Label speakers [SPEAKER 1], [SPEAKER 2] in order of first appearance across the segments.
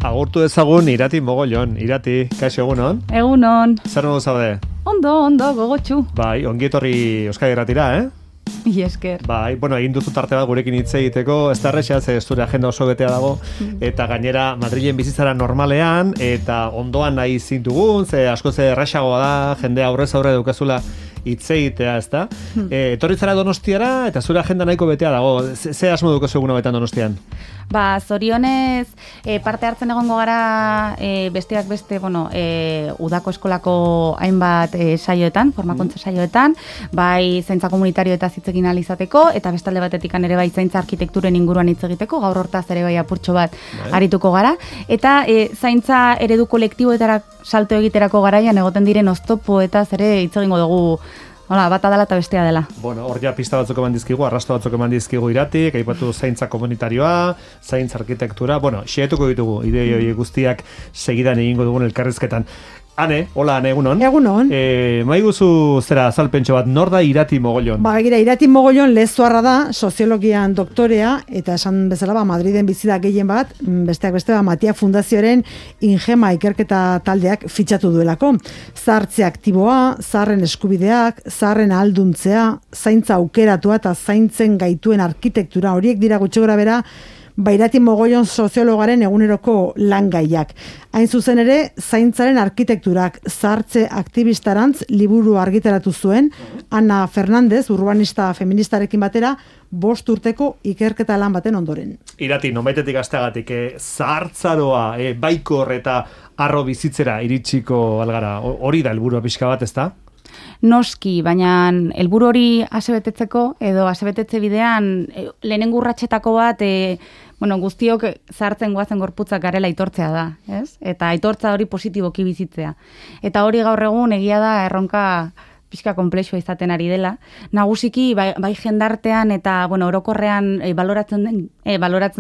[SPEAKER 1] Agurtu ezagun Irati Mogollon. Irati, kaixo egunon?
[SPEAKER 2] Egunon.
[SPEAKER 1] Zer modu zaude?
[SPEAKER 2] Ondo, gogotxu.
[SPEAKER 1] Bai, ongi etorri Euskadi Irratira,
[SPEAKER 2] Esker.
[SPEAKER 1] Bai, bueno, egin duzu tarte bat gurekin hitz egiteko, ez da erresa, ze zure agenda oso betea dago, eta gainera Madrilen bizitzara normalean, eta ondoan nahi zintugun, ze asko ze erresagoa da, jende aurrez aurre dukezula hitz egitea, ez da? Etorri zara Donostiara, eta zure agenda nahiko betea dago, ze asmo dukezu egun hauetan Donostian?
[SPEAKER 2] Zorionez, parte hartzen egongo gara besteak beste, udako eskolako hainbat saioetan, formakuntza saioetan, bai zaintza komunitarioetaz hitz egin ahal izateko, eta bestalde batetik ere bai zaintza arkitekturen inguruan hitz egiteko, gaur hortaz ere bai apurtxo bat arituko gara, eta zaintza eredu kolektiboetara salto egiterako garaian egoten diren oztopoetaz ere hitz egingo dugu. Hola, bata dela eta bestea dela.
[SPEAKER 1] Bueno, hor ja pista batzuk eman dizkigu, arrasto batzuk eman dizkigu Iratik, aipatu zaintza komunitarioa, zaintza arkitektura, xehetuko ditugu, idei guztiak segidan egingo dugun elkarrizketan. Ane, hola Ane, egunon.
[SPEAKER 3] Egunon.
[SPEAKER 1] Maiguzu zera azalpentxo bat, nor da Irati Mogollon?
[SPEAKER 3] Begira, Irati Mogollon lezuarra da, soziologian doktorea, eta esan bezala, Madriden bizi da gehien bat, besteak beste, Matia Fundazioaren Ingema ikerketa taldeak fitxatu duelako. Zahartze aktiboa, zaharren eskubideak, zaharren ahalduntzea, zaintza aukeratua eta zaintzen gaituen arkitektura, horiek dira gutxi gora bera, Irati Mogollon soziologaren eguneroko langaiak. Hain zuzen ere, zaintzaren arkitekturak zahartze aktivistarantz liburu argitaratu zuen, Ana Fernandez, urbanista feministarekin batera, 5 urteko ikerketa lan baten ondoren.
[SPEAKER 1] Irati, nonbaitetik asteagatik, zahartzaroa, baikor eta arro bizitzera iritsiko algara, hori da helburua pixka bat, ez da?
[SPEAKER 2] Noski, baina helburu hori asebetetzeko edo asebetetze bidean lehenengo urratsetako bat guztiok zahartzen goazen gorputzak garela aitortzea da, ez? Eta aitortza hori positiboki bizitzea. Eta hori gaur egun egia da erronka pixka konplexua izaten ari dela. Nagusiki bai jendartean eta orokorrean baloratzen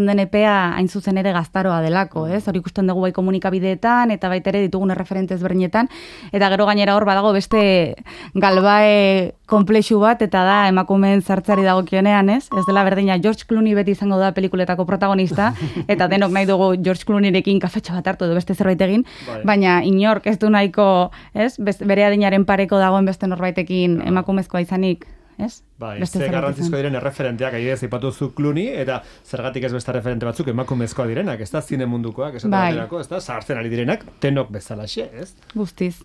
[SPEAKER 2] den epea hain zuzen ere gaztaroa delako, ez? Hori ikusten dugu bai komunikabideetan eta baita ere ditugun erreferente ezberdinetan, eta gero gainera hor badago beste galbae konplexu bat, eta da emakumeen zahartzari dagokionean, ez? Ez dela berdina George Clooney beti izango da pelikuletako protagonista, eta denok nahi dugu George Clooneyrekin kafetxo bat hartu edo beste zerbait egin, baina inork ez du nahiko, ez? Bere adinaren pareko dagoen beste norbaitekin emakumezkoa izanik, ez?
[SPEAKER 1] Ze garrantzizko diren erreferenteak, adibidez aipatu Clooney, eta zergatik ez beste referente batzuk emakumezkoa direnak, ez da zine mundukoak, ez da zahartzen ari direnak, tenok bezalaxe, ez?
[SPEAKER 2] Guztiz.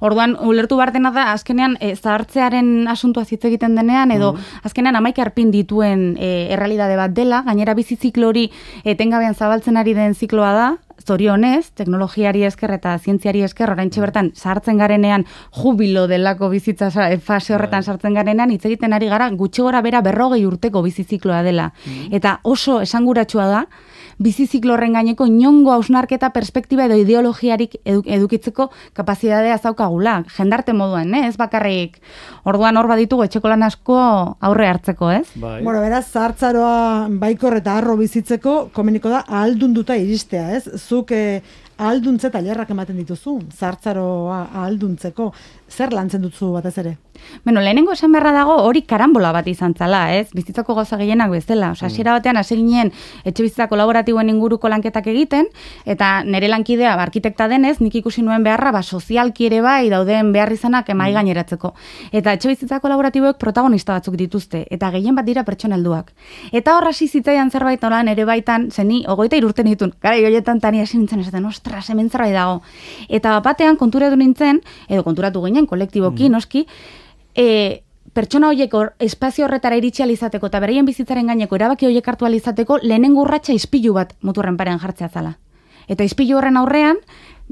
[SPEAKER 2] Orduan, ulertu bartena da, azkenean zahartzearen asuntua hitz egiten denean, edo azkenean 11 arpin dituen errealitate bat dela, gainera bizi ziklo hori etengabean zabaltzen ari den zikloa da, zorionez, teknologiari esker eta zientziari esker, oraintxe bertan sartzen garenean jubilo delako bizitza fase horretan sartzen garenean, hitz egiten ari gara gutxi gora bera 40 urteko bizizikloa dela. Eta oso esanguratsua da, biziziklo horren gaineko inongo hausnarketa perspektiba edo ideologiarik edukitzeko kapazitatea zaukagula, jendarte moduan, ez bakarrik. Orduan hor baditugu etxeko lan asko aurre hartzeko, ez?
[SPEAKER 3] Beraz, zahartzaroa baikor eta arro bizitzeko komeniko da ahaldunduta iristea, ez? Zuk ahalduntze tailerrak ematen dituzu, zahartzaroa ahalduntzeko, zer lantzen dutzu batez ere?
[SPEAKER 2] Lehenengo esan beharra dago hori karambola bat izan zala, ez? Bizitzako gauza gehienak bezala. Hasiera batean hasi ginen etxe bizitza kolaboratiboen inguruko lanketak egiten, eta nire lankidea arkitekta denez, nik ikusi nuen beharra sozialki ere bai dauden behar izanak mahai gaineratzeko. Eta etxe bizitza kolaboratiboek protagonista batzuk dituzte, eta gehien bat dira pertsona helduak. Eta hor hasi zitzaidan zerbait nola nere baitan, zeni 23 urte nituen, garai horietan tani hasi nintzen esaten, ostras, hemen zerbait dago. Eta batean konturatu nintzen, edo konturatu ginen kolektiboki, noski, pertsona horiek espazio horretara iritsi izateko eta beraien bizitzaren gaineko erabaki horiek hartu izateko lehenengo urratsa ispilu bat muturren parean jartzea zala. Eta ispilu horren aurrean,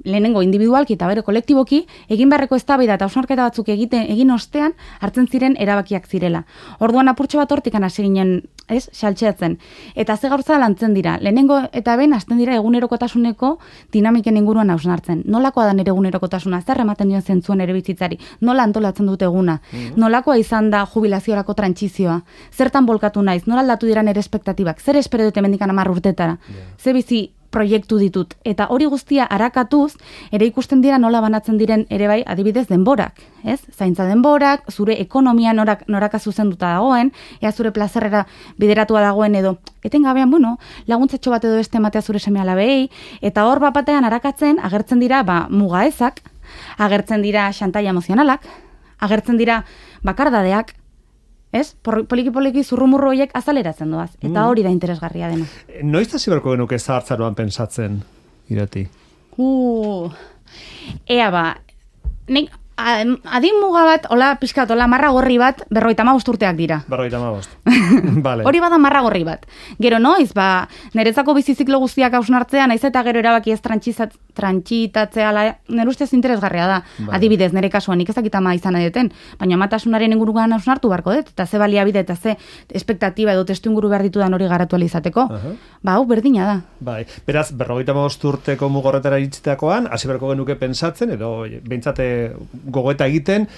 [SPEAKER 2] lehenengo individualki eta bere kolektiboki, egin beharreko eztabaida eta hausnarketa batzuk egin ostean hartzen ziren erabakiak zirela. Orduan apurtxo bat hortikan hasi ginen, ez, saltxeatzen. Eta ze gauza lantzen dira, lehenengo eta ben hasten dira egunerokotasuneko dinamiken inguruan hausnartzen. Nolakoa da nire egunerokotasuna, zer ematen dion zentzuen ere bizitzari, nola antolatzen dute eguna, nolakoa izan da jubilaziorako trantsizioa, zertan bolkatu naiz, nola aldatu dira nire espektatibak, zer espero dute mendikan 10 urtetara, ze bizi proiektu ditut. Eta hori guztia arakatuz, ere ikusten dira nola banatzen diren ere bai, adibidez denborak, ez? Zaintza denborak, zure ekonomia noraka zuzenduta dagoen, ea zure plazerrera bideratua dagoen edo, etengabean, laguntzatxo bat edo beste ematea zure seme-alabei, eta hor bapatean arakatzen, agertzen dira, muga ezak, agertzen dira xantaia emozionalak, agertzen dira bakardadeak, ez? Poliki-poliki zurrumurru horiek azaleratzen doaz. Eta hori da interesgarria dena.
[SPEAKER 1] Noiz hasi beharko genuke zahartzaroan pensatzen, Irati?
[SPEAKER 2] Ea nik adin muga bat, pixkat, marra gorri bat, 55 urteak dira.
[SPEAKER 1] 55. Vale.
[SPEAKER 2] Hori bada marra gorri bat. Gero noiz, nerezako biziziklo guztiak hausnartzea, naiz eta gero erabaki ez trantsitatzea, nire ustez interesgarria da. Vale. Adibidez, nire kasuan, nik ezakit ama izan edeten, baina amatasunaren inguruan hausnartu barko dut, eta ze baliabide eta ze espektatiba edo testu inguru behar ditudan hori garatu alizateko. Hau, berdina da.
[SPEAKER 1] Bai, beraz, 55 urteko mugorretara iritsitakoan, hasi beharko genuke pentsatzen, edo behintzate gogoeta egiten,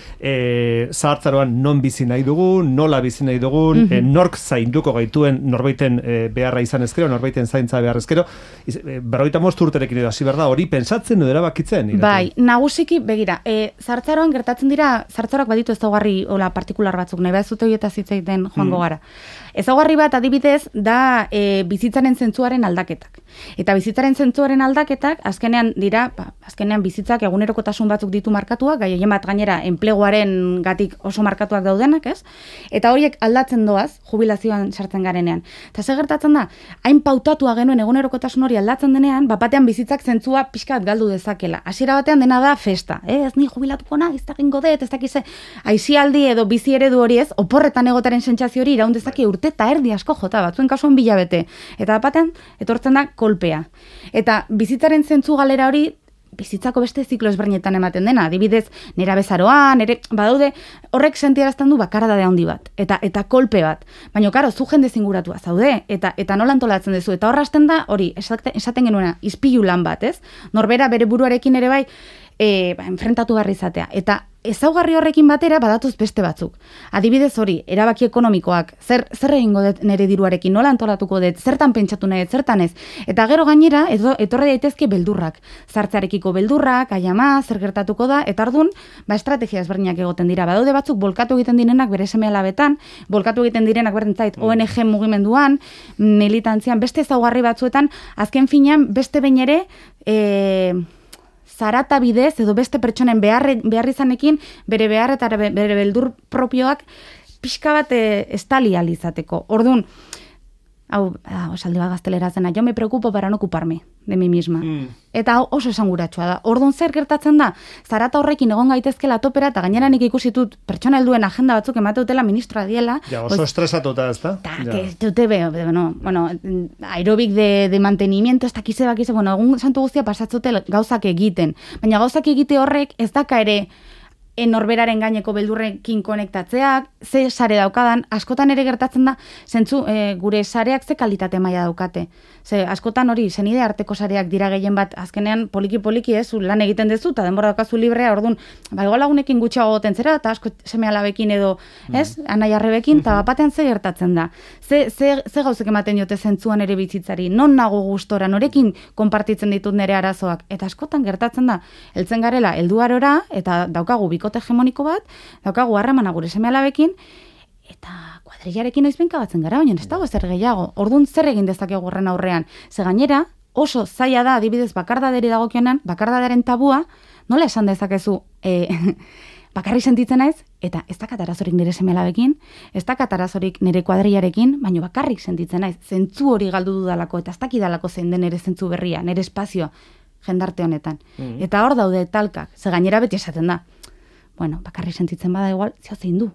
[SPEAKER 1] zahartzaroan non bizi nahi dugun, nola bizi nahi dugun, nork zainduko gaituen norbaiten beharra izan ezkero, norbaiten zaintza behar ezkero, 55 urterekin edo hasi behar da, hori pentsatzen edo erabakitzen?
[SPEAKER 2] Bai, nagusiki, begira, zahartzaroan gertatzen dira, zahartzaroak baditu ezaugarri partikular batzuk, nahi bat zute horietaz hitz egiten joango gara. Ezaugarri bat adibidez da bizitzaren zentzuaren aldaketak. Eta bizitzaren zentzuaren aldaketak azkenean dira, azkenean bizitzak egunerokotasun batzuk ditu markatuak, gehien bat gainera enpleguaren gatik oso markatuak daudenak, ez? Eta horiek aldatzen doaz, jubilazioan sartzen garenean. Eta ze gertatzen da, hain pautatua genuen egunerokotasun hori aldatzen denean, batean bizitzak zentzua pixkat galdu dezakela. Hasiera batean dena da festa, ez ni jubilatuko na, ez dakingo dut, ez dakize, aisialdi edo bizi eredu hori ez, oporretan egotaren sentsazio hori iraun dezake urte eta erdi asko jota, batzuen kasuan bilabete. Eta batean, etortzen da kolpea. Eta bizitzaren zentzu galera hori, bizitzako beste ziklo ezberdinetan ematen dena. Adibidez, nera bezaroan, badaude, horrek sentiarazten du bakaradade handi bat. Eta kolpe bat. Baina, karo, zu jende zinguratua zaude. Eta nola antolatzen duzu. Eta horrazten da, hori, esaten genuena, izpilu lan bat, ez? Norbera bere buruarekin ere bai, enfrentatu garri izatea. Eta ezaugarri horrekin batera badatuz beste batzuk. Adibidez hori, erabaki ekonomikoak, zer egingo dut nire diruarekin, nola antolatuko dut, zertan pentsatu nahi, zertan ez. Eta gero gainera, etorri daitezke beldurrak. Zartzarekiko beldurrak, aiama, zer gertatuko da, eta ordun, estrategia ezberdinak egoten dira. Badaude batzuk bolkatu egiten direnak bere seme-alabetan, bolkatu egiten direnak berdentzait ONG mugimenduan, militantzian, beste ezaugarri batzuetan, azken finean, beste behin ere, zarata bidez edo beste pertsonen behar izanekin bere behar eta bere beldur propioak pixka bat estali alizateko. Orduan, esaldi bat gaztelera zena, yo me preocupo para no ocuparme de mi misma. Eta oso esanguratsua da. Orduan zer gertatzen da, zarata horrekin egon gaitezkela topera, eta gainera nik ikusitut pertsona helduen agenda batzuk emate dutela ministroa diela.
[SPEAKER 1] Ja, oso estresatuta, ez da?
[SPEAKER 2] Aerobik de mantenimiento, ez dakize, egun santu guztia pasatzute gauzak egiten. Baina gauzak egite horrek ez daka ere norberaren gaineko beldurrekin konektatzeak, ze sare daukadan, askotan ere gertatzen da, zentzu, gure sareak ze kalitate maila daukate. Ze, askotan hori, zenide arteko sareak dira gehien bat, azkenean poliki-poliki ez, lan egiten dezu, eta denbora daukazu librea, orduan, igual lagunekin gutxiago goten zera, eta asko seme-alabekin edo, ez, anai-arrebekin, eta batean ze gertatzen da. Ze gauzek ematen diote zentzuan ere bizitzari, non nago gustora, norekin konpartitzen ditut nire arazoak, eta askotan gertatzen da, heltzen garela, helduarora, eta daukagu bikote hegemoniko bat, daukagu harremana gure seme-alabekin, eta kuadrillarekin noizbenka batzen gara, baina ez dago zer gehiago. Orduan zer egin dezakegu horren aurrean. Ze gainera, oso zaila da, adibidez, bakardaderi dagokionean, bakardadaren tabua, nola esan dezakezu, bakarri sentitzen naiz, eta ez dakat arazorik nire seme-alabekin, ez dakat arazorik nire kuadrillarekin, baina bakarrik sentitzen naiz, zentzu hori galdu dudalako, eta ez dakidalako zein den nire zentzu berria, nire espazioa, jendarte honetan. Eta hor daude talkak, ze gainera beti esaten da. Bueno, bakarri sentitzen bada igual, zeo zein du.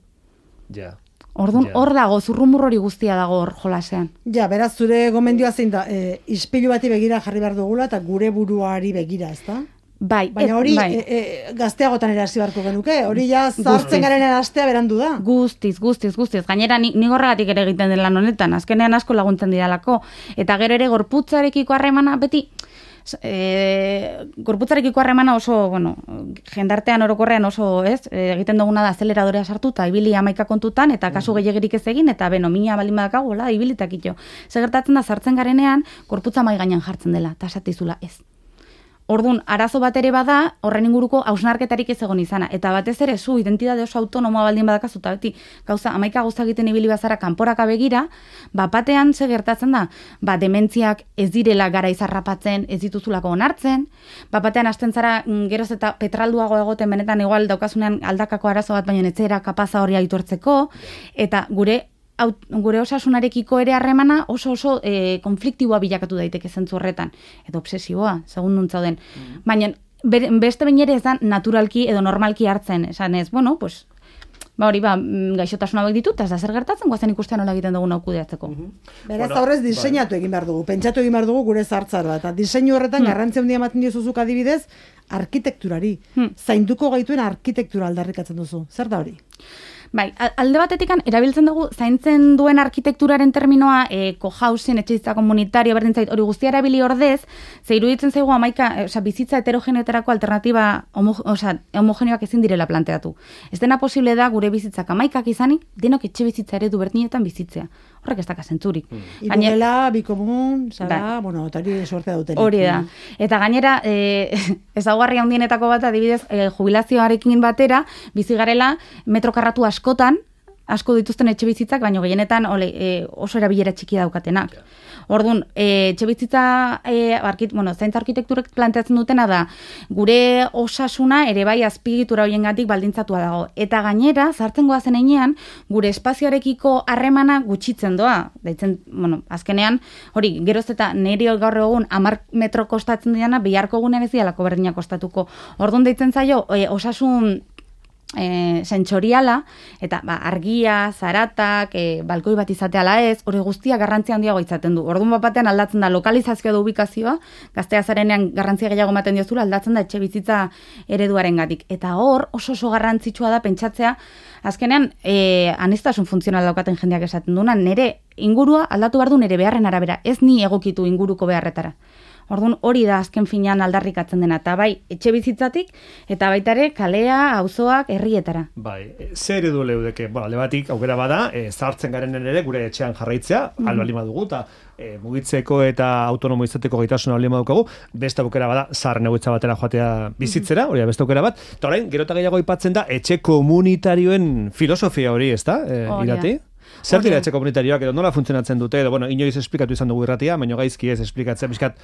[SPEAKER 1] Ja.
[SPEAKER 2] Orduan, hor dago, zurrumur hori guztia dago hor jolasean.
[SPEAKER 3] Ja, beraz, zure gomendioa zein da, ispilu bati begira jarri behar dugula, eta gure buruari begira, ez da?
[SPEAKER 2] Bai.
[SPEAKER 3] Baina hori, gazteagotan ere hasi beharko genuke, hori ja zartzen garen erastea berandu da.
[SPEAKER 2] Guztiz. Gainera, nik horregatik ere egiten den lan honetan, azkenean asko laguntzen didalako. Eta gero ere gorputzarekiko harremana, beti, gorputzarekiko harremana oso, jendartean orokorrean oso, egiten duguna da azeleradorea sartu eta ibili 11 kontutan eta kasu gehiegirik ez egin eta mina baldin badakago, ibilitak ito. Gertatzen da sartzen garenean gorputza mai gainean jartzen dela, eta esatizula ez. Orduan, arazo bat ere bada, horren inguruko hausnarketarik ez egon izana. Eta batez ere, zu identitate oso autonomoa baldin badakazu, eta beti, 11 gauza egiten ibili bazara kanporaka begira, batean ze gertatzen da, dementziak ez direla gara izarrapatzen, ez dituzulako onartzen, batean hasten zara geroz eta petralduago egoten benetan igual daukasunean aldakako arazo bat, baina etzera kapaza hori aitortzeko, eta gure osasunarekiko ere harremana oso konfliktiboa bilakatu daiteke zentzu horretan. Edo obsesiboa, segundun zauden. Baina beste behin ere ez da naturalki edo normalki hartzen. Esan ez, hori gaixotasuna hauek ditut, ez da zer gertatzen, guazen ikustean nola egiten dugun kudeatzeko.
[SPEAKER 3] Beraz, aurrez diseinatu egin behar dugu, pentsatu egin behar dugu gure zartzara. Eta diseinu horretan garrantzia handia ematen diozuzuk adibidez, arkitekturari. Zainduko gaituen arkitektura aldarrikatzen duzu. Zer da hori?
[SPEAKER 2] Bai, alde batetik erabiltzen dugu zaintzen duen arkitekturaren terminoa cohousing, etxebizitza komunitario, berdin zait, hori guztia erabili ordez, ze iruditzen zaigu bizitza heterogeneoterako alternatiba homogeneoak ezin direla planteatu. Ez dena posible da gure bizitzak 11 izanik, denok etxebizitza eredu berdinetan bizitzea. Horrek ez daka zentzurik.
[SPEAKER 3] Irudela, bikomun, zara, eta hori sortea dutenik.
[SPEAKER 2] Hori da. Eta gainera, ezaugarri handienetako bat, adibidez, jubilazioarekin batera, bizi garela metro karratu askotan, asko dituzten etxe bizitzak, baina gehienetan oso erabilera txiki daukatenak. Orduan, etxe bizitza, zaintza arkitekturek planteatzen dutena da, gure osasuna ere bai azpigitura horiengatik baldintzatua dago. Eta gainera, zartzen goazen heinean, gure espazioarekiko harremana gutxitzen doa. Daitzen, azkenean, hori, geroz eta niri gaur egun 10 metro kostatzen diana, biharko egunean ez dialako berdina kostatuko. Orduan deitzen zaio, osasun sentsoriala, eta argia, zaratak, balkoi bat izatea ala ez, hori guztia garrantzia handiago izaten du. Orduan batean aldatzen da lokalizazioa da ubikazioa, gaztea zarenean garrantzia gehiago ematen diozula, aldatzen da etxe bizitza ereduarengatik. Eta hor oso garrantzitsua da pentsatzea, azkenean aniztasun funtzional daukaten jendeak esaten duena, nire ingurua aldatu behar du nire beharren arabera, ez ni egokitu inguruko beharretara. Orduan hori da azken finean aldarrikatzen dena, eta bai, etxe bizitzatik, eta baita ere kalea, auzoak, herrietara.
[SPEAKER 1] Bai, zer edu leudeke, alde batik, aukera bada, zahartzen garenen ere gure etxean jarraitzea, albalin badugu, eta mugitzeko eta autonomo izateko gaitasuna albalin badukagu, beste aukera bada, zaharren egoitza batera joatea bizitzera, hori da beste aukera bat, eta orain, gero eta gehiago aipatzen da, etxe komunitarioen filosofia hori, ez da, Irati? Zer dira etxe komunitarioak edo nola funtzionatzen dute edo inoiz esplikatu izan dugu irratia, baina gaizki ez esplikatzen, bizkat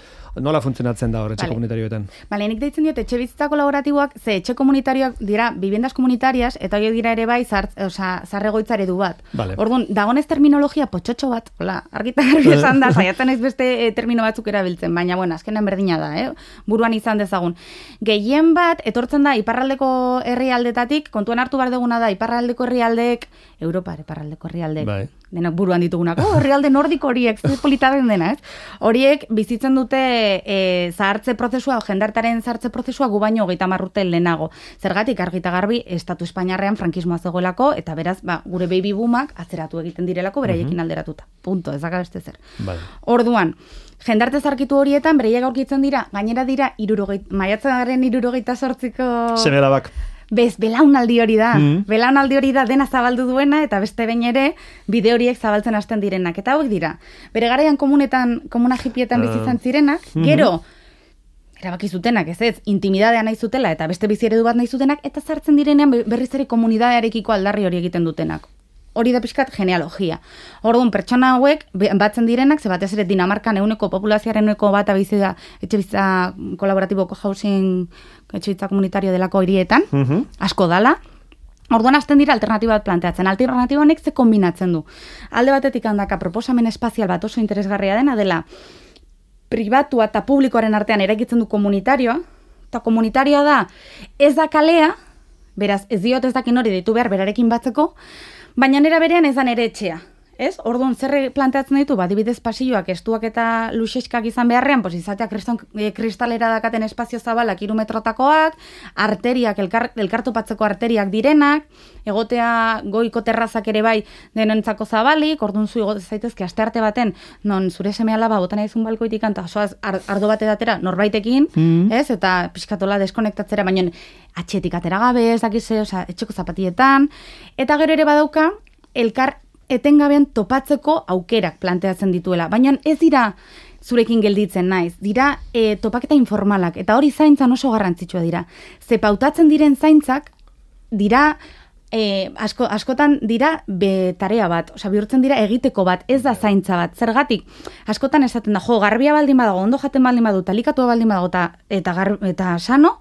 [SPEAKER 1] nola funtzionatzen da hor etxe komunitarioetan.
[SPEAKER 2] Nik deitzen diot etxe bizitza kolaboratiboak, ze etxe komunitarioak dira viviendas komunitarias eta hori dira ere bai zarregoitza eredu bat. Orduan, dagonez terminologia potxotxo bat, argita garbi esan da, saiatzen ez beste termino batzuk erabiltzen, baina azkenan berdina da, buruan izan dezagun. Gehien bat, etortzen da iparraldeko herrialdetatik, kontuan hartu behar duguna da, iparraldeko herrialdeek, Europar iparraldeko herrialdeek, denak buruan ditugunako, herrialde nordiko horiek, politaden dena, horiek bizitzen dute zahartze prozesua, jendartaren zahartze prozesua gu baino 30 urte lehenago. Zergatik argita garbi, estatu espainiarrean frankismoa zegoelako, eta beraz, gure baby boomak atzeratu egiten direlako, beraiekin alderatuta. Punto, ez daka beste zer. Orduan, jendarte zarkitu horietan, bereiak aurkitzen dira, gainera dira, maiatzaren 78ko...
[SPEAKER 1] Seme-alabak.
[SPEAKER 2] Belaunaldi hori da. Belaunaldi hori da dena zabaldu duena eta beste behin ere bide horiek zabaltzen hasten direnak. Eta hauek dira. Bere garaian komuna hipietan bizitzan zirenak, gero erabaki zutenak, ez, intimidadea nahi zutela eta beste bizi eredu bat nahi zutenak, eta zartzen direnean berriz ere komunidadearekiko aldarri hori egiten dutenak. Hori da pixkat genealogia. Orduan, pertsona hauek batzen direnak, ze batez ere Dinamarkan populazioaren bat bizi da etxebizitza kolaboratiboko housing etxebizitza komunitario delako hirietan, asko dala. Orduan hasten dira alternatiba bat planteatzen. Alternatiba honek ze kombinatzen du. Alde batetik handaka proposamen espazial bat oso interesgarria dela pribatua eta publikoaren artean eraikitzen du komunitarioa, eta komunitarioa da ez da kalea, beraz ez diot ez dakin hori deitu behar berarekin batzeko, baina nera berean ez da nere etxea. Ez? Orduan, zer planteatzen ditu, adibidez pasilloak estuak eta luxeskak izan beharrean, pues izatea kristalera dakaten espazio zabalak 3 metrotakoak, arteriak, elkartopatzeko arteriak direnak, egotea goiko terrazak ere bai denontzako zabalik, orduan zu egote zaitezke astearte baten, non zure seme alaba botan aizun balkoitik eta soaz ardo bat edatera norbaitekin, ez? Eta pixkatola deskonektatzera, baina atxetik atera gabe, ez dakize, etxeko zapatietan, eta gero ere badauka, elkar etengabean topatzeko aukerak planteatzen dituela. Baina ez dira zurekin gelditzen naiz, dira topaketa informalak, eta hori zaintzan oso garrantzitsua dira. Ze pautatzen diren zaintzak, dira, askotan dira tarea bat, bihurtzen dira egiteko bat, ez da zaintza bat. Zergatik, askotan esaten da, garbia baldin badago, ondo jaten baldin badu, talikatua baldin badago, eta sano,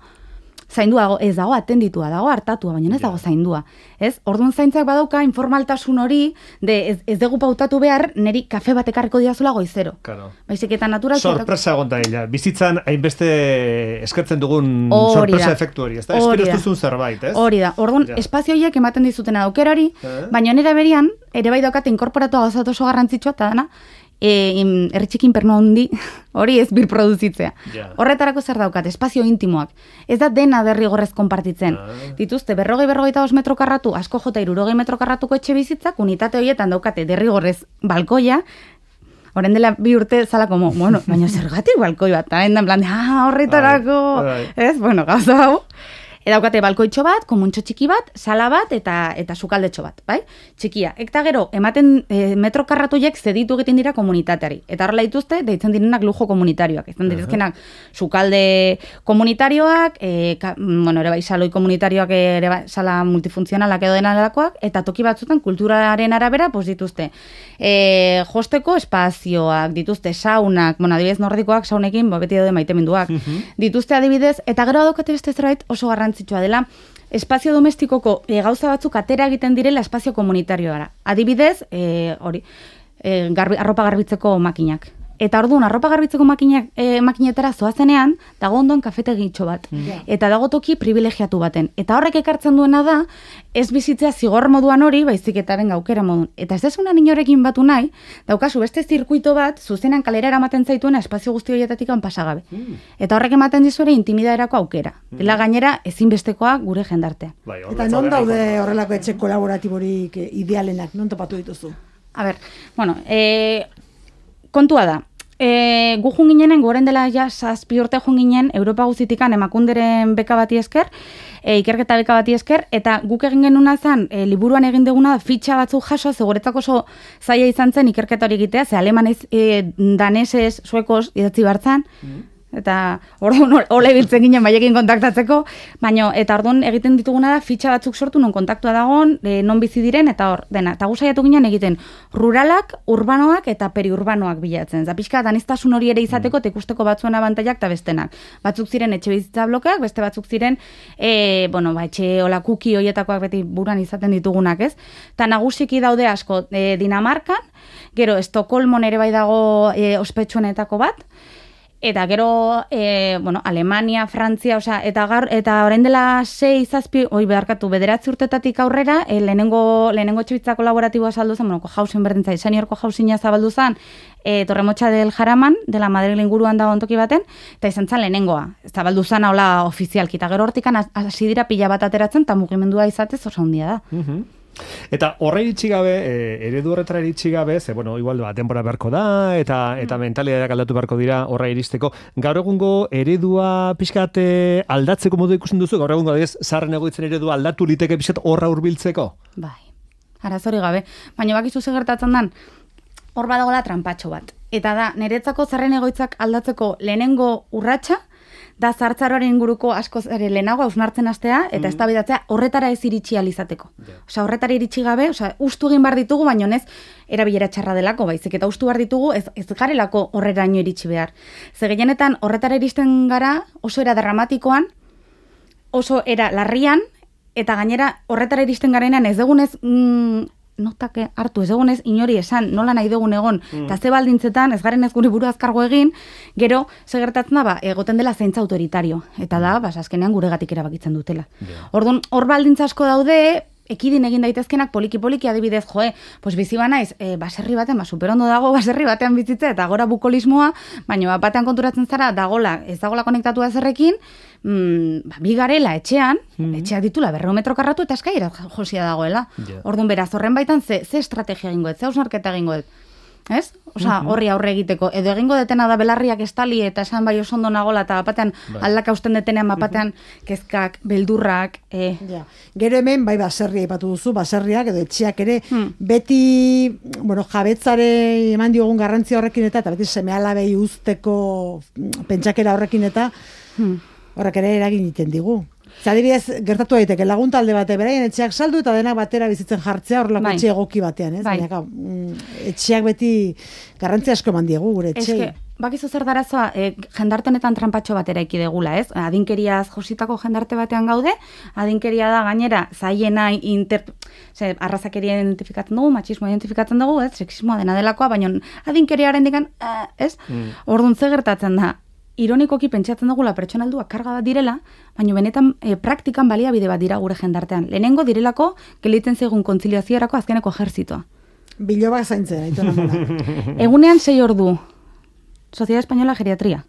[SPEAKER 2] zaindua ez dago, atenditua dago, hartatua, baina ez dago zaindua. Ez? Orduan zaintzak badauka informaltasun hori, ez dugu pautatu behar, niri kafe bat ekarriko diazula goizero.
[SPEAKER 1] Claro.
[SPEAKER 2] Baizik eta natural...
[SPEAKER 1] Sorpresa egon da ella. Bizitzan hainbeste eskertzen dugun sorpresa efektu hori. Espero ez duzun zerbait, ez?
[SPEAKER 2] Hori da. Orduan, espazio horiek ematen dizuten aukerari, baina nire berian, ere bai daukate inkorporatua gauzat oso garrantzitsua, eta dana, erritxikin perno handi, hori ez birproduzitzea. Horretarako zer daukat, espazio intimoak. Ez da dena derrigorrez konpartitzen. Dituzte, 40-45 metro karratu, asko jota 60 metro karratuko etxe bizitzak, unitate horietan daukate derrigorrez balkoia, Horren dela 2 urte zala como, bueno, baina zergatik balkoi bat, eta en plan, horretarako, ez? Bueno, gauza hau. Edaukate balkoitxo bat, komuntxo txiki bat, sala bat eta sukaldetxo bat, bai? Txikia. Eta gero, ematen metro karratuiek zeditu egiten dira komunitateari. Eta horrela dituzte, deitzen direnak lujo komunitarioak. Izan direzkenak sukalde komunitarioak, bueno, ere bai, saloi komunitarioak, ere bai, sala multifuntzionalak edo denalakoak, eta toki batzutan kulturaren arabera, pues dituzte. Josteko espazioak, dituzte saunak, bueno, adibidez nordikoak saunekin, beti daude maiteminduak. Dituzte adibidez, eta gero adokate beste zerbait oso garrantzitsua dela, espazio domestikoko gauza batzuk atera egiten direla espazio komunitarioara. Adibidez, arropa garbitzeko makinak. Eta orduan, arropa garbitzeko makinetara zoazenean, dago ondoan kafetegitxo bat. Eta dago toki privilegiatu baten. Eta horrek ekartzen duena da, ez bizitzea zigor moduan hori, baizik eta benga aukera modun. Eta ez desunan inorekin batu nahi, daukazu beste zirkuito bat, zuzenan kalera eramaten zaituena espazio guzti horietatik pasagabe. Eta horrek ematen dizuere intimidaderako aukera. Dela gainera, ezinbestekoa gure jendartea.
[SPEAKER 3] Eta non daude horrelako etxe kolaboratiborik idealenak, non topatu dituzu?
[SPEAKER 2] A ber, bueno, kontua da. Gu jun ginenen, goren dela ja 7 urte jun ginen, Europa guztitikan emakunderen beka bati esker, ikerketa beka bati esker, eta guk egin genuna zen, liburuan egin duguna fitxa batzuk jaso, zegoretzako oso zaila izan zen ikerketa hori egitea, ze alemanez, danesez, suekos, idatzi bartzan, eta orduan hola ibiltzen ginen baiekin kontaktatzeko, baina eta orduan egiten dituguna da fitxa batzuk sortu non kontaktua dagoen, non bizi diren eta hor dena. Eta gu saiatu ginen egiten ruralak, urbanoak eta periurbanoak bilatzen. Za pixka aniztasun hori ere izateko eta ikusteko batzuen abantailak eta bestenak. Batzuk ziren etxe bizitza blokeak, beste batzuk ziren etxe hola kuki hoietakoak beti buruan izaten ditugunak, ez? Ta nagusiki daude asko Dinamarkan, gero Estokolmon ere bai dago ospetsuenetako bat. Eta gero, Alemania, Frantzia, eta orain dela 6-7, beharkatu, 9 urtetatik aurrera, lehenengo etxebizitza kolaboratiboa saldu zen, hausen berdin zai, seniorko hausina zabaldu zen, Torremotxa del Jaraman, dela Madrid inguruan dago ontoki baten, eta izan zen lehenengoa, zabaldu zen hola ofizialki, eta gero hortikan hasi dira pila bat ateratzen, eta mugimendua izatez oso handia da.
[SPEAKER 1] Eta horra iritsi gabe, eredu horretara iritsi gabe, ze, igual denbora beharko da, eta mentalitateak aldatu beharko dira horra iristeko. Gaur egungo eredua pixkat aldatzeko modu ikusten duzu? Gaur egungo zaharren egoitzen eredua aldatu liteke pixkat horra hurbiltzeko?
[SPEAKER 2] Bai, arazori gabe. Baina bakizu ze gertatzen dan, hor badagoela tranpatxo bat. Eta da, niretzako zaharren egoitzak aldatzeko lehenengo urratsa, da zartzaroaren inguruko asko lehenago hausnartzen hastea eta eztabaidatzea horretara ez iritsi alizateko. Horretara iritsi gabe, ustu egin bar ditugu, baina ez erabilera txarra delako, baizik eta ustu bar ditugu ez garelako horreraino iritsi behar. Ze gehienetan horretara iristen gara oso era dramatikoan, oso era larrian, eta gainera horretara iristen garenean ez dugunez notak hartu, ez egonez inori esan, nola nahi dugun egon, eta ze baldintzetan, ez garen ez gure buru azkargo egin, gero, segertatzen da, egoten dela zaintza autoritario, eta da, azkenean guregatik erabakitzen dutela. Orduan, hor baldintza asko daude, ekidin egin daitezkenak poliki adibidez, pues bizi banaiz, baserri batean, superondo dago baserri batean bizitza eta gora bukolismoa, baina batean konturatzen zara ez dagola konektatua zerrekin, bi garela etxean, etxeak ditula 200 metro karratu eta eskaira josia dagoela. Orduan beraz, horren baitan ze estrategia egingo dut, ze hausnarketa egingo dut. Ez? Osa, horri aurre egiteko. Edo egingo detena da belarriak estali eta esan bai oso ondo nagola eta bapatean aldaka usten detenean bapatean kezkak, beldurrak.
[SPEAKER 3] Ja. Gero hemen, bai baserria ipatu duzu, baserriak edo etxeak ere, beti, jabetzare eman diogun garrantzia horrekin eta beti seme-alabei usteko pentsakera horrekin eta horrek ere eragin egiten digu. Adibidez, gertatu daiteke lagun talde bate beraien etxeak saldu eta denak batera bizitzen jartzea horrelako etxe egoki batean, ez? Baina, etxeak beti garrantzia asko eman diegu gure etxei.
[SPEAKER 2] Bakizu zer darazoa, jendarte honetan trampatxo batera egula, ez? Adinkeriaz jositako jendarte batean gaude, adinkeria da gainera zaiena arrazakeria identifikatzen dugu, matxismoa identifikatzen dugu, ez? Sexismoa dena delakoa, baina adinkeriaren dikan, ez? Orduan ze gertatzen da, ironikoki pentsatzen dugula pertsona helduak karga bat direla, baina benetan praktikan baliabide bat dira gure jendartean. Lehenengo direlako gelditzen zaigun kontziliaziorako azkeneko ejertzitoa.
[SPEAKER 3] Bilobak zaintzen, aitona mola.
[SPEAKER 2] Egunean 6 ordu. Sociedad Española Geriatria.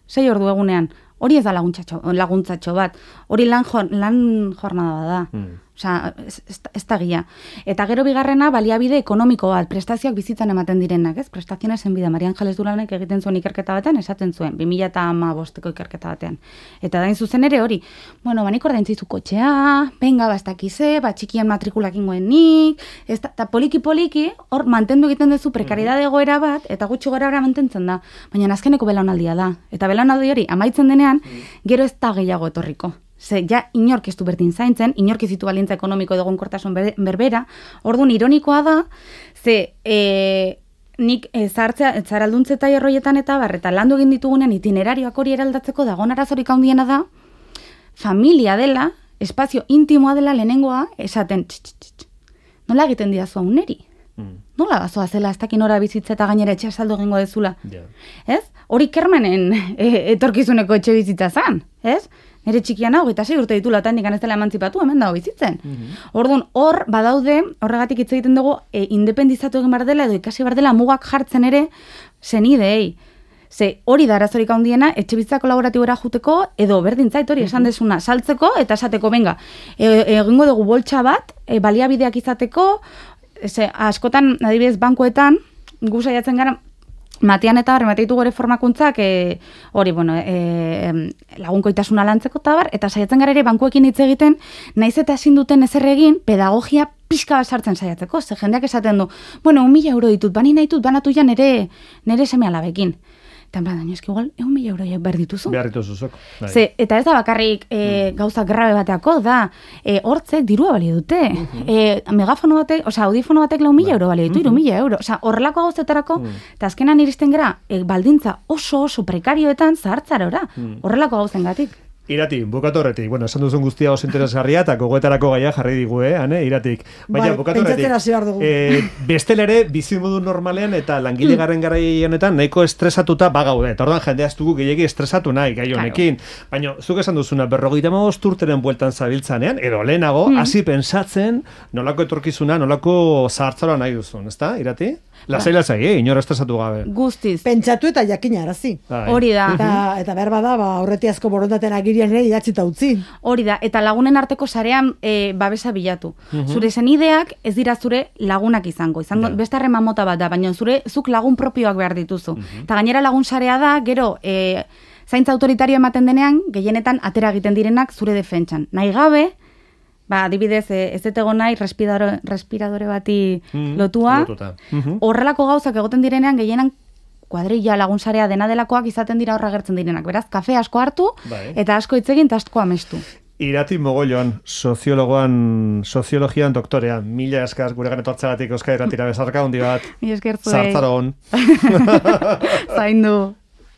[SPEAKER 2] 6 ordu egunean. Hori ez da laguntzatxo bat. Hori lan jornada da. Osea, ez da gila. Eta gero bigarrena, baliabide ekonomiko bat, prestazioak bizitzan ematen direnak, ez? Prestazioa zen bida, Maria Ángeles Duranek egiten zuen ikerketa batean, esaten zuen, 2015ko ikerketa batean. Eta dain zuzen ere hori, banik ordaintzizu kotxea, benga bastakize, txikien matrikulak ingoenik, eta poliki, hor mantendu egiten duzu prekaridade egoera bat, eta gutxi gara mantentzen da, baina azkeneko belaunaldia da. Eta belaunaldi hori amaitzen denean, gero ez da gehiago etorriko. Ze, ja, inork ez du berdin zaintzen, inork ez ditu balintza ekonomiko edo egonkortasun berbera, orduan ironikoa da, ze, nik zaralduntze eta erroietan eta eta landu egin ditugunean itinerarioak hori eraldatzeko dagoen arazorik handiena da, familia dela, espazio intimoa dela lehenengoa, esaten, nola egiten didazu hauneri? Nola bazoa zela, ez dakin ora bizitza eta gainera etxea saldu egingo dezula? Ez? Hori kermanen etorkizuneko etxe bizitza zan, ez? Nere txikian hau, eta 6 urte ditula, eta hendikan ez dela emantzipatu, hemen dago bizitzen. Orduan, hor, badaude, horregatik hitz egiten dugu, independizatu egin bar dela, edo ikasi bar dela mugak jartzen ere, zenideei. Ze hori da arazorik handiena, etxe bizitza kolaboratibora juteko, edo berdintzait hori esan desuna, saltzeko, eta esateko, benga, egingo dugu boltsa bat, baliabideak izateko, askotan, adibidez, bankoetan, gu saiatzen gara, Matian eta remateitu gore formakuntzak lagunkoitasuna lantzeko eta saiatzen gara ere bankuekin hitz egiten, naiz eta ezin duten ezer egin pedagogia pixka bat sartzen saiatzeko, ze jendeak esaten du, 1.000 euro ditut, bani nahi dut, banatu ja nere seme-alabekin. Eta en plan, eski igual, 1.000 euroiek behar dituzu.
[SPEAKER 1] Behar dituzuzok.
[SPEAKER 2] Eta ez da bakarrik gauza grabe bateako, da, hortzek dirua balio dute. Megafono batek, audifono batek 4.000 euro balio ditu, 3.000 euro. Horrelako gauzetarako, eta azkenan iristen gara, baldintza oso prekarioetan zahartzarora. Horrelako gauzengatik.
[SPEAKER 1] Irati, bukatu horretik. Esan duzun guztia oso interesgarria, eta gogoetarako gaia jarri digu, Iratik. Baina, bukatu horretik. Bestelere, bizimodu normalean eta langile garen garai honetan nahiko estresatuta bagaude. Eta orduan jendea ez dugu gehiagi estresatu nahi gai honekin. Baina, zuk esan duzuna, 55 urteren bueltan zabiltzanean, edo lehenago, hasi pensatzen nolako etorkizuna, nolako zahartzara nahi duzun, ezta, Irati? Lasai, inora estresatu gabe.
[SPEAKER 2] Guztiz.
[SPEAKER 3] Pentsatu eta jakina arazi.
[SPEAKER 2] Hori da.
[SPEAKER 3] Eta behar bada, aurretiazko borondaten agirian ere idatzita utzi.
[SPEAKER 2] Hori da, eta lagunen arteko sarean babesa bilatu. Zure senideak ez dira zure lagunak izango beste harreman mota bat da, baina zuk lagun propioak behar dituzu. Eta gainera lagun sarea da, gero zaintza autoritario ematen denean, gehienetan atera egiten direnak zure defentsan. Nahi gabe, adibidez, ez dut egon nahi respiradore bati lotua. Horrelako gauzak egoten direnean, gehienan kuadrilla lagunsarea dena delakoak izaten dira horra gertzen direnak. Beraz, kafe asko hartu, eta asko hitz egin, eta asko amestu.
[SPEAKER 1] Irati Mogolloan, soziologian doktorean. Mila eskaz gure ganetortzagatik Euskal Irratira bezarka, hundi bat.
[SPEAKER 2] Mila esker zuei.
[SPEAKER 1] Zartzaron.
[SPEAKER 2] Zaindu.